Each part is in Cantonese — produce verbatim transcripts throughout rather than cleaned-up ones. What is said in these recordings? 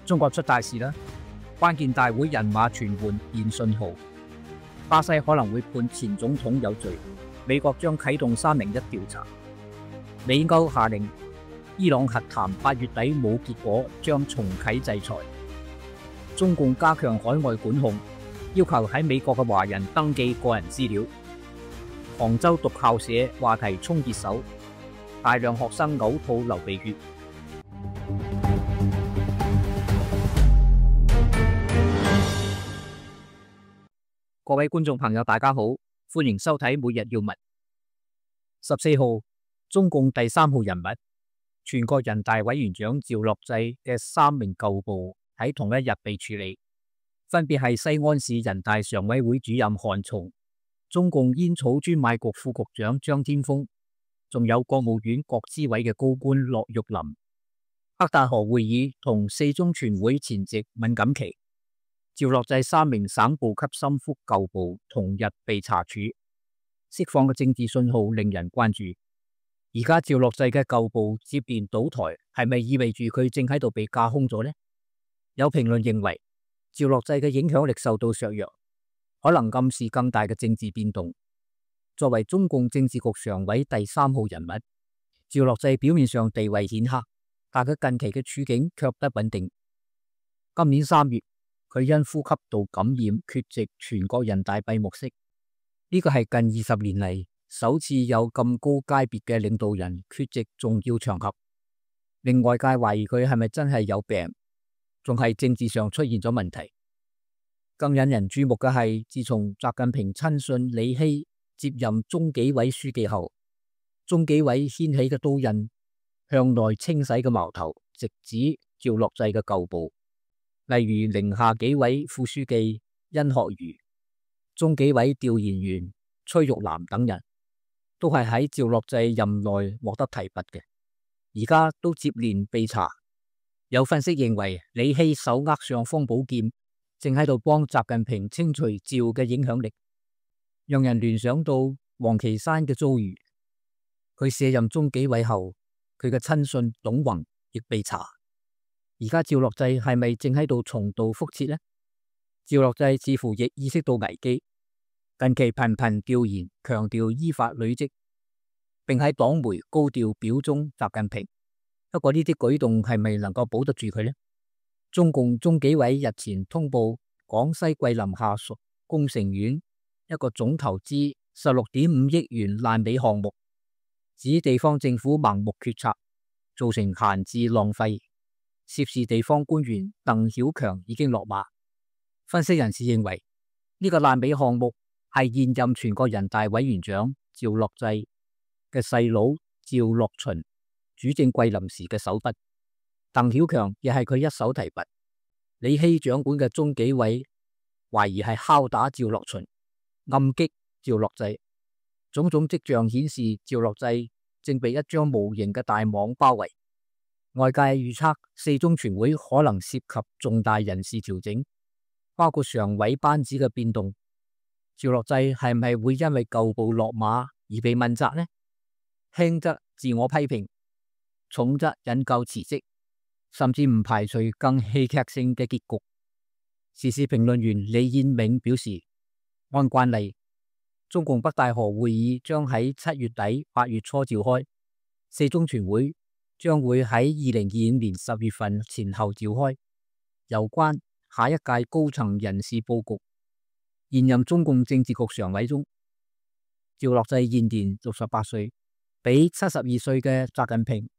中國出大事啦！關鍵大會人馬傳喚現信號，巴西可能會判前總統有罪，美國將啟動三零一調查，美歐下令伊朗核談八月底冇結果將重啟制裁，中共加強海外管控，要求喺美國嘅華人登記個人資料。杭州讀校社話題衝熱搜，大量學生嘔吐流鼻血。各位觀眾朋友，大家好，歡迎收睇每日要聞。十四號，中共第三號人物，全國人大委員長趙樂際嘅三名舊部喺同一日被處理，分別係西安市人大常委會主任韓松、中共煙草專賣局副局長張天峰，仲有國務院國資委嘅高官駱玉林。北戴河會議同四中全會前夕敏感期，趙樂際三名省部級心腹舊部同日被查處，釋放嘅政治信號令人關注。而家趙樂際嘅舊部接連倒台，係咪意味住佢正喺度被架空咗呢？有評論認為，趙樂際嘅影響力受到削弱，可能暗示更大嘅政治變動。作為中共政治局常委第三號人物，趙樂際表面上地位顯赫，但佢近期嘅處境卻不穩定。今年三月，佢因呼吸道感染缺席全國人大閉幕式，呢個係近二十年嚟首次有咁高階別嘅領導人缺席重要場合，令外界懷疑佢係咪真係有病，仲係政治上出現咗問題。更引人注目嘅係，自從習近平親信李希接任中紀委書記後，中紀委掀起嘅刀刃向內清洗嘅矛頭直指趙樂際嘅舊部。例如寧夏紀委副書記殷學儒、中紀委調研員崔玉南等人，都係喺趙樂際任內獲得提拔嘅，而家都接連被查。有分析認為，李希手握尚方寶劍，正喺度幫習近平清除趙嘅影響力，讓人聯想到王岐山嘅遭遇。佢卸任中紀委後，佢嘅親信董宏亦被查。而家趙樂際係咪正喺度重蹈覆轍呢？趙樂際似乎亦意識到危機，近期頻頻調研，強調依法履職，並喺黨媒高調表忠習近平。不過呢啲舉動係咪能夠保得住佢呢？中共中紀委日前通報廣西桂林下屬工程院一個總投資十六點五億元爛尾項目，指地方政府盲目決策，造成閒置浪費。涉事地方官員鄧曉強已經落馬。分析人士認為，呢、這個爛尾項目係現任全國人大委員長趙樂際嘅細佬趙樂群主政桂林時嘅手筆，鄧曉強亦係佢一手提拔。李希掌管嘅中紀委懷疑係敲打趙樂群，暗擊趙樂際。種種跡象顯示，趙樂際正被一張無形嘅大網包圍。外界預測四中全會可能涉及重大人事調整，包括常委班子嘅變動。趙樂際係咪會因為舊部落馬而被問責呢？輕則自我批評，重則引咎辭職，甚至唔排除更戲劇性嘅結局。時事評論員李燕銘表示，按慣例，中共北戴河會議將喺七月底八月初召開，四中全會將會喺二零二五年十月份前後召開。有關下一屆高層人事佈局，現任中共政治局常委中，趙樂際現年六十八歲，比七十二歲嘅習近平、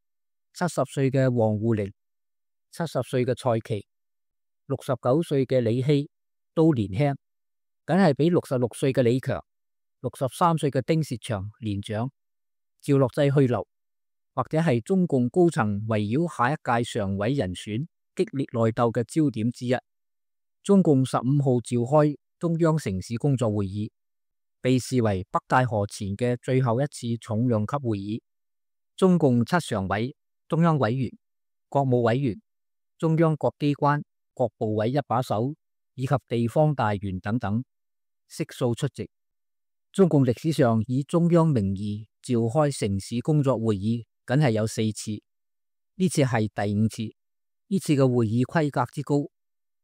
七十歲嘅王滬寧、七十歲嘅蔡奇、六十九歲嘅李希都年輕，梗係比六十六歲嘅李強、六十三歲嘅丁薛祥年長。趙樂際去留，或者係中共高層圍繞下一屆常委人選激烈內鬥嘅焦點之一。中共十五號召開中央城市工作會議，被視為北戴河前嘅最後一次重量級會議。中共七常委、中央委員、國務委員、中央各機關、各部委一把手以及地方大員等等悉數出席。中共歷史上以中央名義召開城市工作會議，僅係有四次，呢次係第五次。呢次嘅會議規格之高，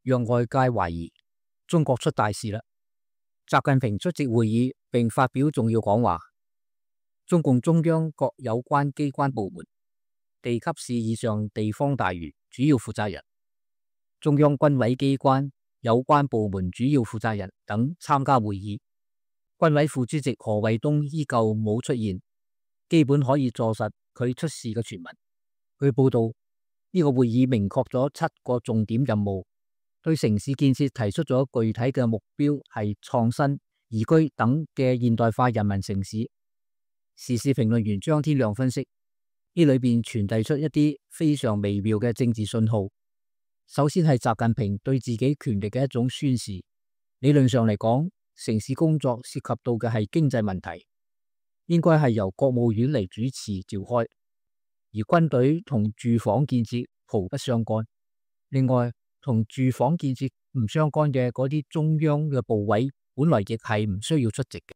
讓外界懷疑中國出大事啦。習近平出席會議並發表重要講話。中共中央各有關機關部門、地級市以上地方大員主要負責人、中央軍委機關有關部門主要負責人等參加會議。軍委副主席何衛東依舊冇出現，基本可以坐實佢出事嘅傳聞。據報道，呢個會議明確咗七個重點任務，對城市建設提出咗具體嘅目標，係創新、宜居等嘅現代化人民城市。時事評論員張天亮分析，呢裏邊傳遞出一啲非常微妙嘅政治信號。首先係習近平對自己權力嘅一種宣示。理論上嚟講，城市工作涉及到嘅係經濟問題，應該係由國務院嚟主持召開，而軍隊同住房建設毫不相干。另外，同住房建設唔相干嘅嗰啲中央嘅部委，本來亦係唔需要出席嘅。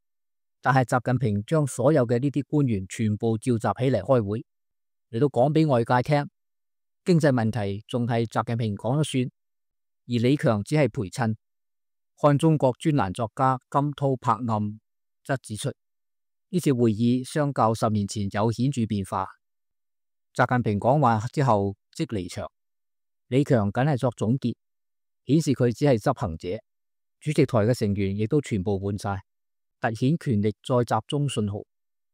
但係習近平將所有嘅呢啲官員全部召集起嚟開會，嚟到講俾外界聽，經濟問題仲係習近平講咗算，而李強只係陪襯。看中國專欄作家金濤柏暗則指出，呢次會議相較十年前有顯著變化。習近平講話之後即離場，李強僅係作總結，顯示佢只係執行者。主席台嘅成員亦都全部換晒，凸顯權力再集中信號。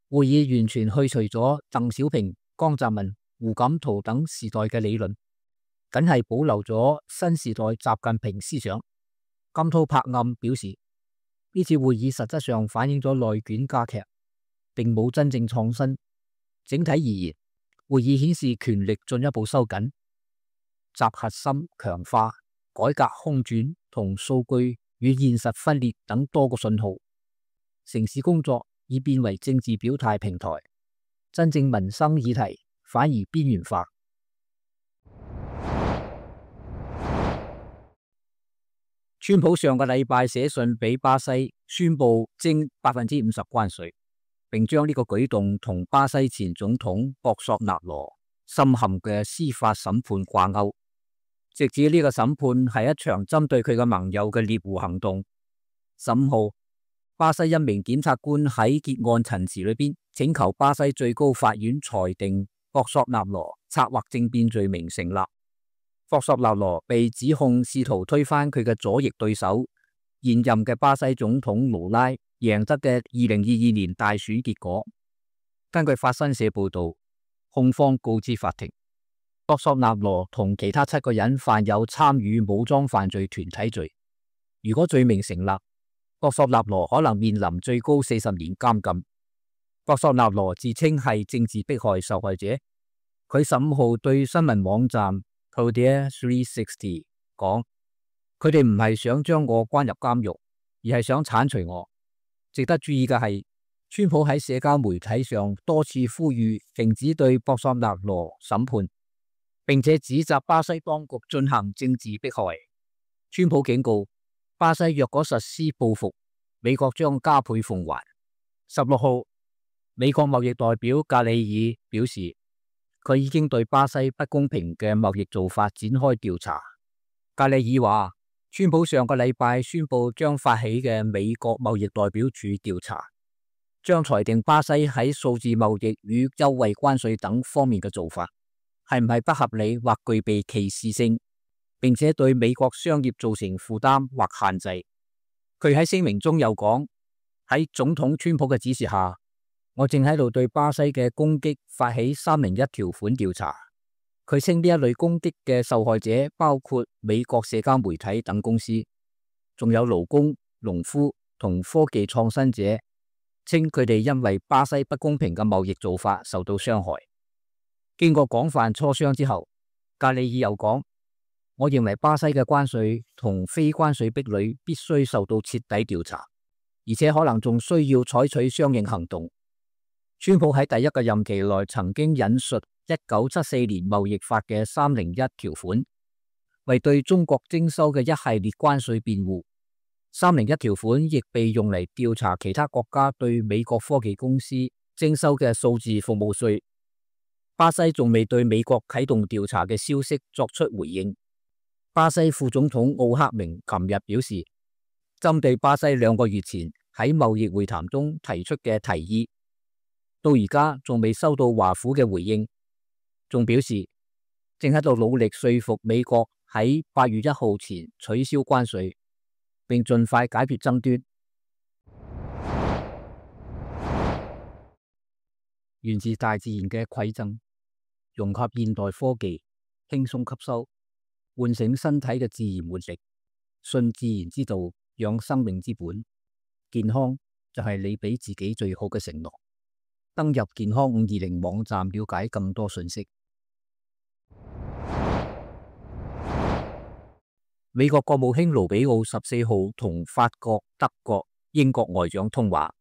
會議完全去除咗鄧小平、江澤民、胡錦濤等時代嘅理論，僅係保留咗新時代習近平思想。金濤柏暗表示，呢次會議實質上反映咗內卷加劇，並冇真正創新。整體而言，會議顯示權力進一步收緊，集核心強化、改革空轉同數據與現實分裂等多個信號。城市工作已變為政治表態平台，真正民生議題反而邊緣化。川普上個禮拜寫信俾巴西，宣布徵百分之五十關稅，並將呢個舉動同巴西前總統博索納羅深陷嘅司法審判掛鈎，直指呢個審判係一場針對佢嘅盟友嘅獵狐行動。十五號，巴西一名檢察官喺結案陳詞裏邊請求巴西最高法院裁定博索納羅策劃政變罪名成立。博索納羅被指控試圖推翻佢嘅左翼對手現任嘅巴西總統盧拉贏得嘅二零二二年大選結果。根據法新社報道，控方告知法庭，博索納羅同其他七個人犯有參與武裝犯罪團體罪。如果罪名成立，博索納羅可能面臨最高四十年監禁。博索納羅自稱係政治迫害受害者。佢十五號對新聞網站Poder三百六十講，佢哋唔係想將我關入監獄，而係想鏟除我。值得注意嘅係，川普喺社交媒體上多次呼籲停止對博索納羅審判，並且指責巴西當局進行政治迫害。川普警告，巴西若果實施報復，美國將加倍奉還。十六號，美國貿易代表格里爾表示，佢已經對巴西不公平嘅貿易做法展開調查。格里爾話，川普上個禮拜宣布將發起嘅美國貿易代表處調查，將裁定巴西喺數字貿易與優惠關稅等方面嘅做法係唔係不合理或具備歧視性，並且對美國商業造成負擔或限制。佢喺聲明中又講，喺總統川普嘅指示下，我正喺度對巴西嘅攻擊發起三零一條款調查。佢稱呢一類攻擊嘅受害者包括美國社交媒體等公司，仲有勞工、農夫同科技創新者，稱佢哋因為巴西不公平嘅貿易做法受到傷害。經過廣泛磋商之後，格里爾又講，我認為巴西嘅關稅同非關稅壁壘必須受到徹底調查，而且可能仲需要採取相應行動。川普喺第一個任期內曾經引述一九七四年貿易法嘅三零一條款，為對中國徵收嘅一系列關稅辯護。三零一條款亦被用嚟調查其他國家對美國科技公司徵收嘅數字服務稅。巴西仲未對美國啟動調查嘅消息作出回應。巴西副總統奧克明琴日表示，針對巴西兩個月前喺貿易會談中提出嘅提議，到而家仲未收到華府嘅回應，仲表示正喺度努力說服美國喺八月一號前取消關稅，並盡快解決爭端。源自大自然嘅饋贈，融合現代科技，輕鬆吸收，喚醒身體嘅自然活力，信自然之道，養生命之本。健康就係你俾自己最好嘅承諾。登入健康五二零網站了解更多信息。美國國務卿盧比奧十四號同法國、德國、英國外長通話，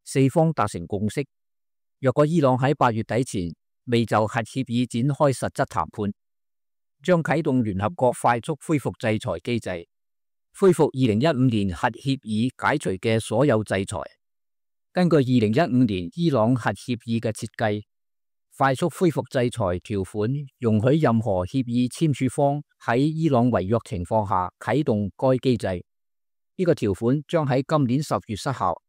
四方達成共識，若果伊朗喺八月底前未就核協議展開實質談判，將啟動聯合國快速恢復制裁機制，恢復二零一五年核協議解除嘅所有制裁。根據二零一五年伊朗核協議嘅設計，快速恢復制裁條款容許任何協議簽署方喺伊朗違約情況下啟動該機制。呢、這個條款將喺今年十月失效，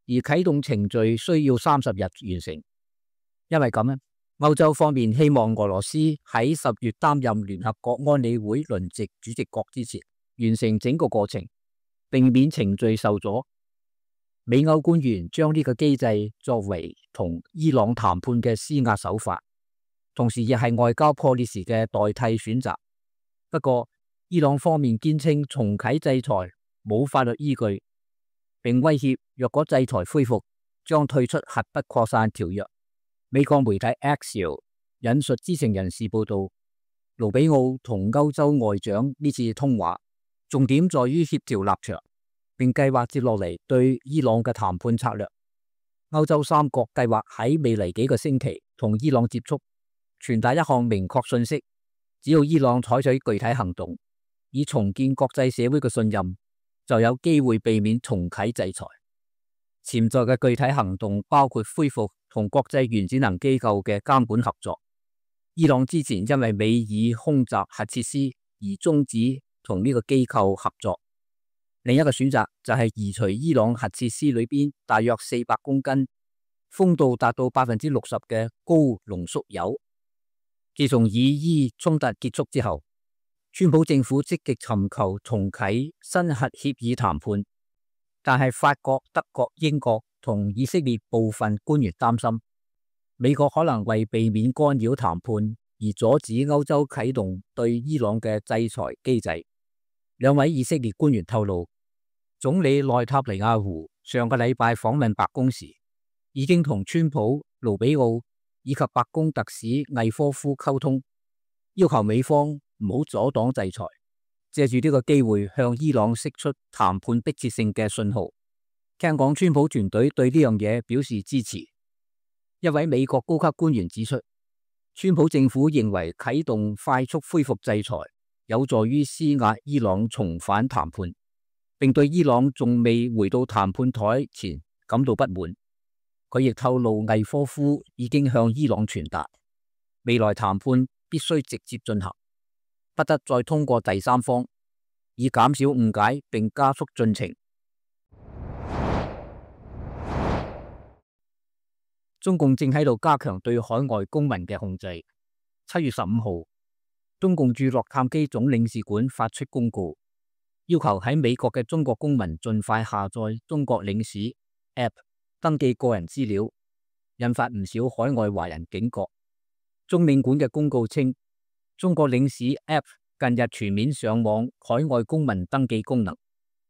而啟動程序需要三十日完成。因為咁咧，歐洲方面希望俄羅斯喺十月擔任聯合國安理會輪值主席國之前完成整個過程，避免程序受阻。美歐官員將呢個機制作為同伊朗談判嘅施壓手法，同時亦係外交破裂時嘅代替選擇。不過，伊朗方面堅稱重啟制裁冇法律依據，並威脅若果制裁恢復，將退出核不擴散條約。美國媒體 Axios 引述知情人士報道，盧比奧同歐洲外長呢次通話重點在於協調立場，並計劃接落嚟對伊朗嘅談判策略。歐洲三國計劃喺未來幾個星期同伊朗接觸，傳達一項明確信息：只要伊朗採取具體行動，以重建國際社會嘅信任，就有機會避免重啟制裁。潛在嘅具體行動包括恢復同國際原子能機構嘅監管合作。伊朗之前因為美以空襲核設施而終止同呢個機構合作。另一個選擇就係移除伊朗核設施裏邊大約四百公斤、豐度達到百分之六十嘅高濃縮鈾。自從以伊衝突結束之後，川普政府積極尋求重啟新核協議談判，但係法國、德國、英國同以色列部分官員擔心，美國可能為避免干擾談判而阻止歐洲啟動對伊朗嘅制裁機制。兩位以色列官員透露，總理內塔尼亞胡上個禮拜訪問白宮時，已經同川普、盧比奧以及白宮特使魏科夫溝通，要求美方唔好阻擋制裁，借住呢個機會向伊朗釋出談判迫切性嘅信號。聽講川普團隊對呢樣嘢表示支持。一位美國高級官員指出，川普政府認為啟動快速恢復制裁有助於施壓伊朗重返談判，並對伊朗仲未回到談判台前感到不滿。佢亦透露魏科夫已經向伊朗傳達，未來談判必須直接進行，不得再通過第三方，以減少誤解並加速進程。中共正喺度加強對海外公民嘅控制。七月十五號，中共駐洛杉磯總領事館發出公告，要求喺美國嘅中國公民盡快下載中國領事 App 登記個人資料，引發唔少海外華人警覺。中領館嘅公告稱，中國領事 App 近日全面上網海外公民登記功能，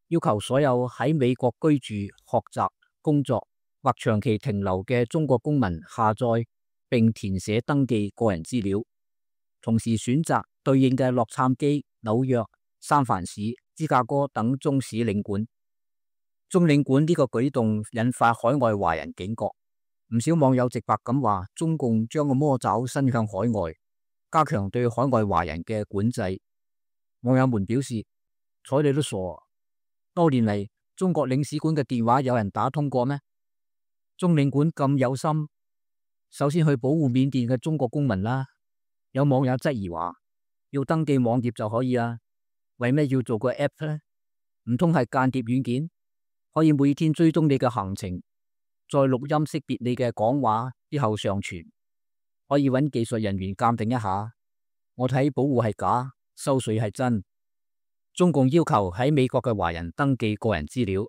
要求所有喺美國居住、學習、工作或長期停留嘅中國公民下載並填寫登記個人資料，同時選擇對應嘅洛杉磯、紐約、三藩市、芝加哥等中使領館。中領館呢個舉動引發海外華人警覺，唔少網友直白咁話，中共將個魔爪伸向海外，加強對海外華人嘅管制。網友們表示，睬你都傻，多年嚟中國領事館嘅電話有人打通過咩？中領館咁有心，首先去保護緬甸嘅中國公民啦。有網友質疑話，要登記網頁就可以啦，為咩要做個 app 呢？唔通係間諜軟件，可以每天追蹤你嘅行程，再錄音識別你嘅講話之後上傳，可以揾技術人員鑑定一下。我睇保護係假，收稅係真。中共要求喺美國嘅華人登記個人資料，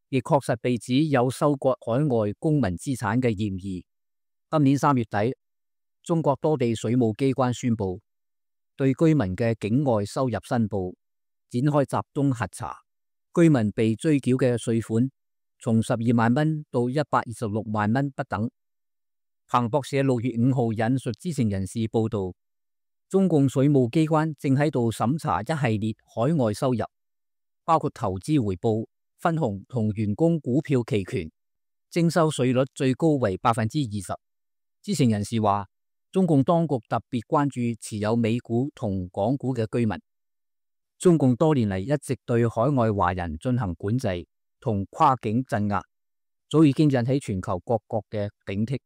亦確實被指有收割海外公民資產嘅嫌疑。今年三月底，中國多地水務機關宣布，對居民嘅境外收入申報展開集中核查，居民被追繳嘅稅款從十二萬蚊到一百二十六萬蚊不等。彭博社六月五號引述知情人士報道，中共水務機關正喺度審查一系列海外收入，包括投資回報、分紅同員工股票期權，徵收稅率最高為百分之二十。知情人士話，中共當局特別關注持有美股同港股嘅居民。中共多年嚟一直對海外華人進行管制同跨境鎮壓，早已經引起全球各國嘅警惕。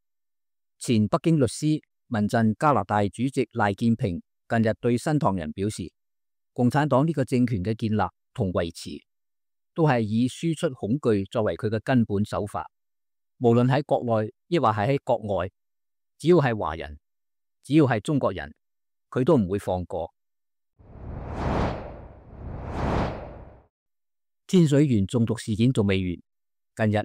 前北京律師、民陣加拿大主席賴建平近日對新唐人表示，共產黨呢個政權嘅建立同維持都係以輸出恐懼作為佢嘅根本手法，無論喺國內亦或係喺國外，只要係華人，只要係中國人，佢都唔會放過。天水縣中毒事件仲未完，近日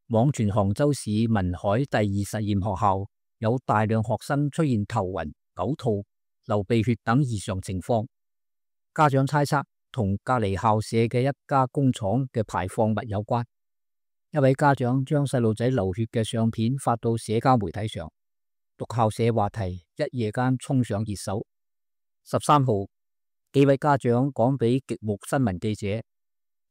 網傳杭州市文海第二實驗學校有大量學生出現頭暈、嘔吐、流鼻血等異常情況，家長猜測同隔離校舍嘅一家工廠嘅排放物有關。一位家長將細路仔流血嘅相片發到社交媒體上，毒校舍話題一夜間衝上熱搜。十三號，幾位家長講俾極目新聞記者，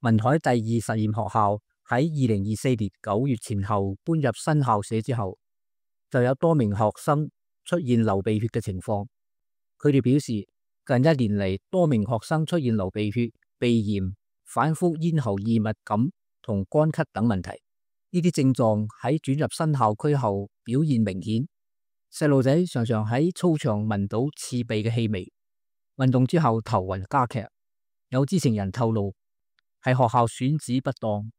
文海第二實驗學校喺二零二四年九月前後搬入新校舍之後，就有多名學生出現流鼻血嘅情況。佢哋表示，近一年嚟多名學生出現流鼻血、鼻炎、反覆咽喉異物感同乾咳等問題。呢啲症狀喺轉入新校區後表現明顯。細路仔常常喺操場聞到刺鼻嘅氣味，運動之後頭暈加劇。有知情人透露，係學校選址不當，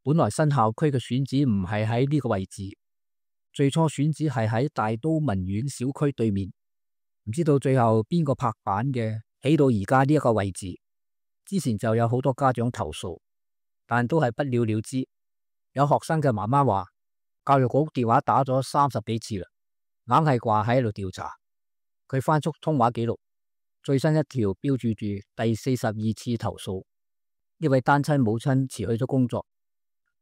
本來新校區嘅選址唔係喺呢個位置，最初選址係喺大都文苑小區對面，唔知道最後邊個拍板嘅，起到而家呢一個位置。之前就有好多家長投訴，但都係不了了之。有學生嘅媽媽話，教育局電話打咗三十幾次啦，硬係掛喺度調查。佢翻出通話記錄，最新一條標注住第四十二次投訴。呢位單親母親辭去咗工作，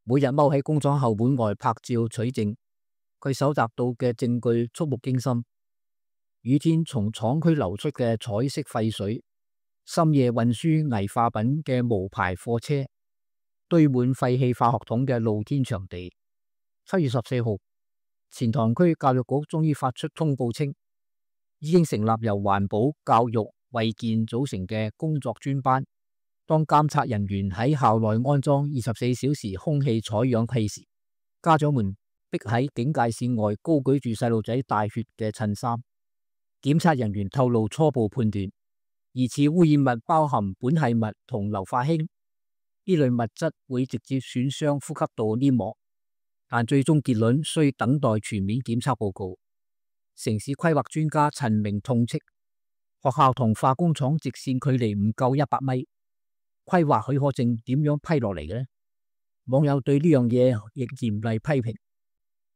每日踎喺工廠後門外拍照取證。佢搜集到嘅證據觸目驚心：雨天從廠區流出嘅彩色廢水，深夜運輸危化品嘅無牌貨車，堆滿廢棄化學桶嘅露天場地。七月十四號，錢塘區教育局終於發出通報稱，已經成立由環保、教育、衛健組成嘅工作專班。當監察人員喺校內安裝二十四小時空氣採氧器時，家長們逼喺警戒線外高舉住細路仔帶血嘅襯衫。檢測人員透露初步判斷，疑似污染物包含苯係物同硫化氫，呢類物質會直接損傷呼吸道黏膜，但最終結論需等待全面檢測報告。城市規劃專家陳明痛斥，學校同化工廠直線距離唔夠一百米。規劃許可證點樣批落嚟嘅呢？網友對呢樣嘢亦嚴厲批評。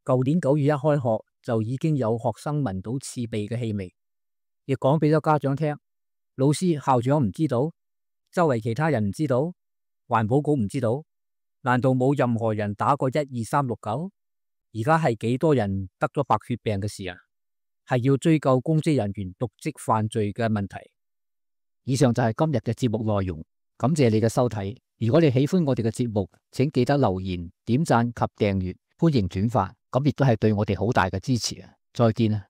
舊年九月一開學就已經有學生聞到刺鼻嘅氣味，亦講俾咗家長聽。老師、校長唔知道，周圍其他人唔知道，環保局唔知道，難道冇任何人打過一二三六九？而家係幾多人得咗白血病嘅事啊？係要追究公職人員瀆職犯罪嘅問題。以上就係今日嘅節目內容。感謝你嘅收睇，如果你喜歡我哋嘅節目，請記得留言、點讚及訂閱，歡迎轉發，咁亦都係對我哋好大嘅支持啊！再見啊！